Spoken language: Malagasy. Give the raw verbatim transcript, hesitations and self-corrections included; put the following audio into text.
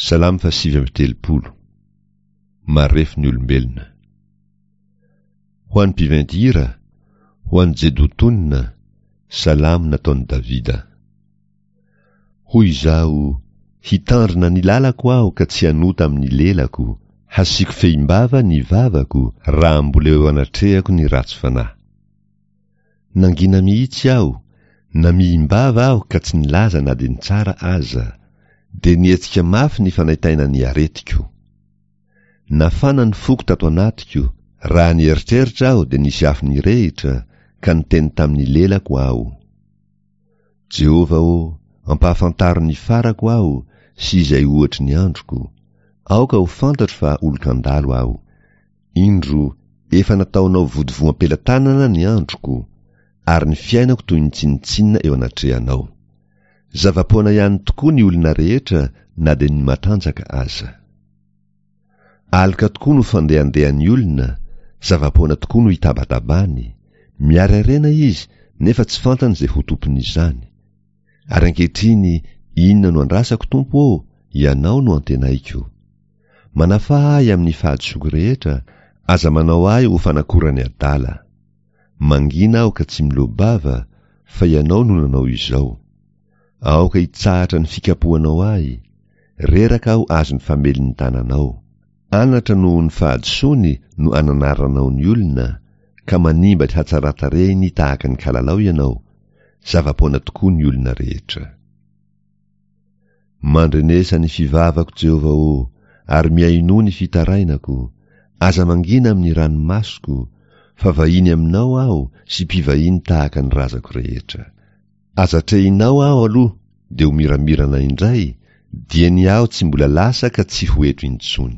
Salamo fahasivy amby telopolo. Marefo ny olombelona. Ho an'ny mpiventy hira, ho an'i Jedotona, salamo nataon'i Davida. Hoy izaho, hitandrina ny lalako aho ka tsy hanota amin'ny lelako, hasiako fehimbava ny vavako raha mbola eo anatrehako ny ratsy fanahy. Nangina mihitsy aho, namihim-bava aho ka tsy nilaza na dia ny tsara aza, dia nihetsika mafy ny fanaintainan'ny aretiko. Nafana ny foko tato anatiko, raha nieritreritra aho dia nisy afo nirehitra, ka niteny tamin'ny lelako aho. Jehovah ô, ampahafantaro ny farako aho sy izay ohatry ny androko. Aoka ho fantatro fa olon-kandalo aho. Indro, efa nataonao vodivoam-pelatanana ny androko, ary ny fiainako toy ny tsinontsinona eo anatrehanao. Zava-poana ihany tokoa ny olona rehetra na dia ny matanjaka aza. Aloka tokoa no fandehandehan'ny olona, zava-poana tokoa no itabatabany. Miary harena izy nefa tsy fantany izay ho tompon'izany. Ary ankehitriny inona no andrasako, Tompo ô? Ianao no antenaiko. Manafaha ahy amin'ny fahadisoako rehetra, aza manao ahy ho fanakoran'ny adala. Mangina aho ka tsy miloa-bava, fa ianao no nanao izao. Aoka hitsahatra ny fikapohanao ahy, reraka aho azon'ny famelin'ny tananao. Anatra noho ny fahadisoany no ananaranao ny olona, ka manimba ny hatsaran-tarehiny tahaka ny kalalao ianao, zava-poana tokoa ny olona rehetra. Mandrenesa ny fivavako, Jehovah ô, ary mihainoa ny fitarainako, aza mangina amin'ny ranomasoko, fa vahiny aminao aho sy mpivahiny tahaka ny razako rehetra. Aza atrehinao aho aloha dia ho miramirana indray, dia ny aho tsy mbola lasa ka tsy ho eto intsony.